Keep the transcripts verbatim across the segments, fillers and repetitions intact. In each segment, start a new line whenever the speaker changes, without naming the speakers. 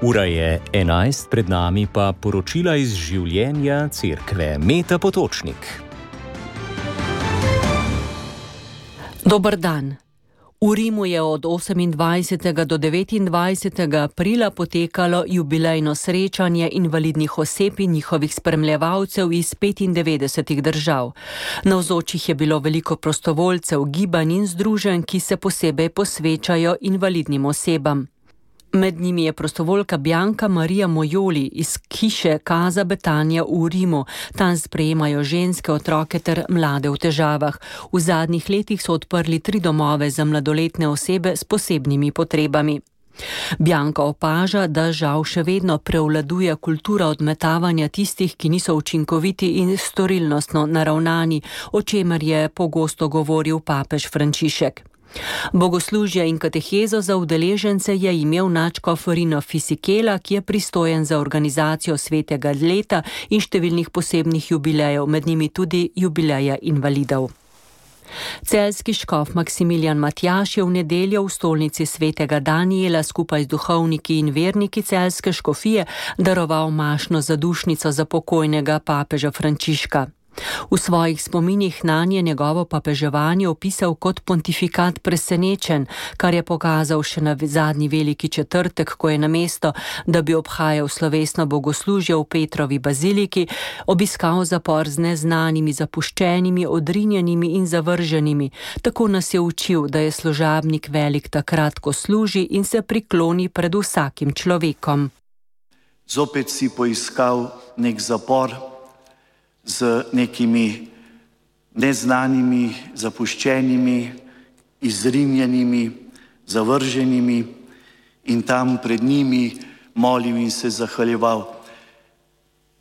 Ura je enajst, pred nami pa poročila iz življenja cerkve. Meta Potočnik.
Dober dan. V Rimu je od osemindvajsetega do devetindvajsetega aprila potekalo jubilejno srečanje invalidnih oseb in njihovih spremljevalcev iz petindevetdesetih držav. Navzočih je bilo veliko prostovoljcev, gibanj in združenj, ki se posebej posvečajo invalidnim osebam. Med njimi je prostovoljka Bianca Maria Mojoli iz hiše Casa Betania v Rimu. Tam sprejemajo ženske, otroke ter mlade v težavah. V zadnjih letih so odprli tri domove za mladoletne osebe s posebnimi potrebami. Bianca opaža, da žal še vedno prevladuje kultura odmetavanja tistih, ki niso učinkoviti in storilnostno naravnani, o čemer je pogosto govoril papež Frančišek. Bogoslužje in katehezo za udeležence je imel nadškof Rino Fisichella, ki je pristojen za organizacijo svetega leta in številnih posebnih jubilejev, med njimi tudi jubileja invalidov. Celjski škof Maksimilijan Matjaž je v nedeljo v stolnici svetega Danijela skupaj z duhovniki in verniki celjske škofije daroval mašno zadušnico za pokojnega papeža Frančiška. V svojih spominih nanje njegovo papeževanje opisal kot pontifikat presenečen, kar je pokazal še na zadnji veliki četrtek, ko je namesto, da bi obhajal slovesno bogoslužje v Petrovi baziliki, obiskal zapor z neznanimi, zapuščenimi, odrinjenimi in zavrženimi. Tako nas je učil, da je služabnik velik takrat, ko služi in se prikloni pred vsakim človekom.
Zopet si poiskal nek zapor z nekimi neznanimi, zapuščenimi, izrinjenimi, zavrženimi in tam pred njimi molil in se zahvaljeval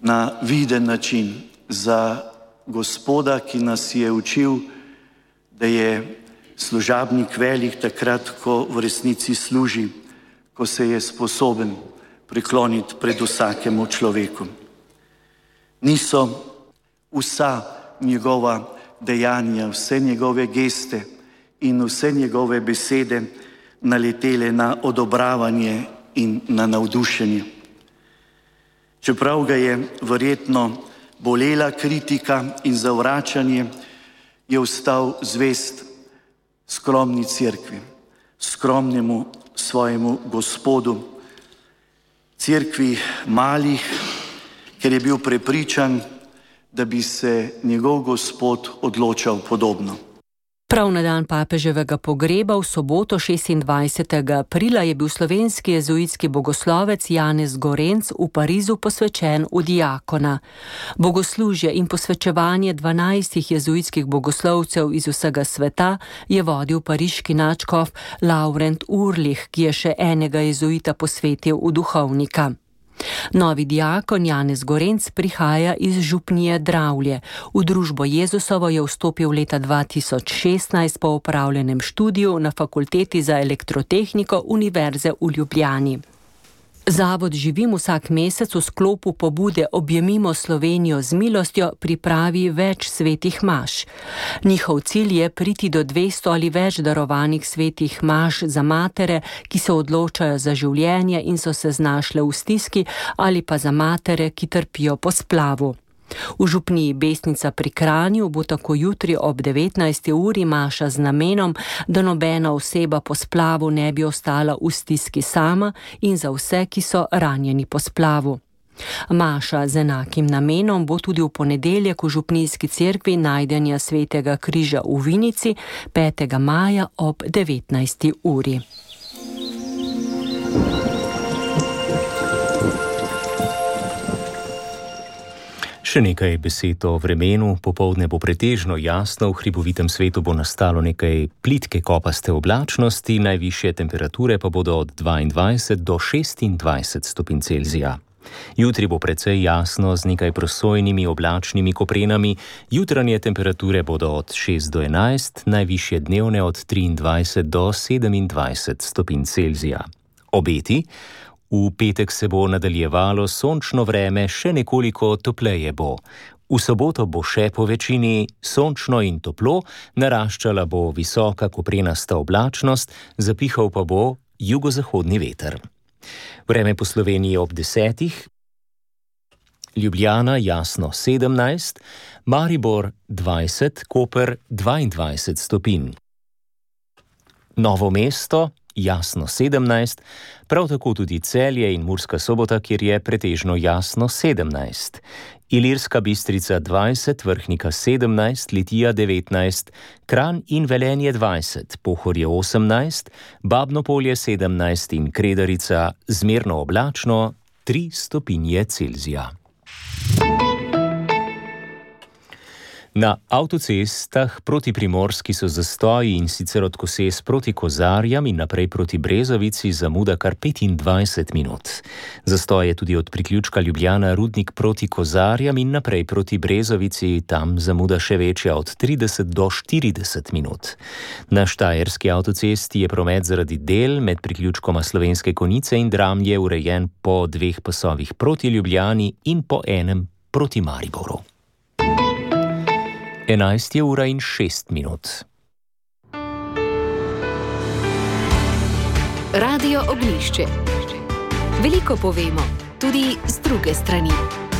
na viden način za Gospoda, ki nas je učil, da je služabnik velik takrat, ko v resnici služi, ko se je sposoben prikloniti pred vsakemu človeku. Niso vsa njegova dejanja, vse njegove geste in vse njegove besede naletele na odobravanje in na navdušenje. Čeprav ga je verjetno bolela kritika in zavračanje, je ostal zvest skromni cerkvi, skromnemu svojemu Gospodu, cerkvi malih, ker je bil prepričan, da bi se njegov Gospod odločal podobno.
Prav na dan papeževega pogreba v soboto šestindvajsetega aprila je bil slovenski jezuitski bogoslovec Janez Gorenc v Parizu posvečen v diakona. Bogoslužje in posvečevanje dvanajstih jezuitskih bogoslovcev iz vsega sveta je vodil pariški nadškof Laurent Urlih, ki je še enega jezuita posvetil v duhovnika. Novi diakon Janez Gorenc prihaja iz župnije Dravlje. V družbo Jezusovo je vstopil leta dva tisoč šestnajst po opravljenem študiju na Fakulteti za elektrotehniko Univerze v Ljubljani. Zavod Živim vsak mesec v sklopu pobude Objemimo Slovenijo z milostjo pripravi več svetih maš. Njihov cilj je priti do dvesto ali več darovanih svetih maš za matere, ki se odločajo za življenje in so se znašle v stiski, ali pa za matere, ki trpijo po splavu. V župniji Besnica pri Kranju bo tako jutri ob devetnajsti uri maša z namenom, da nobena oseba po splavu ne bi ostala v stiski sama in za vse, ki so ranjeni po splavu. Maša z enakim namenom bo tudi v ponedeljek v župnijski cerkvi Najdenja svetega križa v Vinici petega maja ob devetnajsti uri.
Še nekaj besed o vremenu. Popoldne bo pretežno jasno, v hribovitem svetu bo nastalo nekaj plitke kopaste oblačnosti, najvišje temperature pa bodo od dvaindvajset do šestindvajset stopinj Celzija. Jutri bo precej jasno z nekaj prosojnimi oblačnimi koprenami, jutranje temperature bodo od šest do enajst, najvišje dnevne od triindvajset do sedemindvajset stopinj Celzija. Obeti? V petek se bo nadaljevalo sončno vreme, še nekoliko topleje bo. V soboto bo še po večini sončno in toplo, naraščala bo visoka koprenasta oblačnost, zapihal pa bo jugozahodni veter. Vreme po Sloveniji ob desetih. Ljubljana jasno sedemnajst, Maribor dvajset, Koper dvaindvajset stopinj. Novo mesto jasno sedemnajst, prav tako tudi Celje in Murska Sobota, kjer je pretežno jasno sedemnajst. Ilirska Bistrica dvajset, Vrhnika sedemnajst, Litija devetnajst, Kranj in Velenje dvajset, Pohorje osemnajst, Babno Polje sedemnajst in Kredarica zmerno oblačno tri stopinje Celzija. Na avtocestah proti Primorski so zastoji, in sicer od Koses proti Kozarjam in naprej proti Brezovici zamuda kar petindvajset minut. Zastoj je tudi od priključka Ljubljana Rudnik proti Kozarjam in naprej proti Brezovici, tam zamuda še večja od trideset do štirideset minut. Na Štajerski avtocesti je promet zaradi del med priključkoma Slovenske Konjice in Dramlje urejen po dveh pasovih proti Ljubljani in po enem proti Mariboru. enajst je ura in šest minut.
Radio Oglišče. Veliko povemo, tudi z druge strani.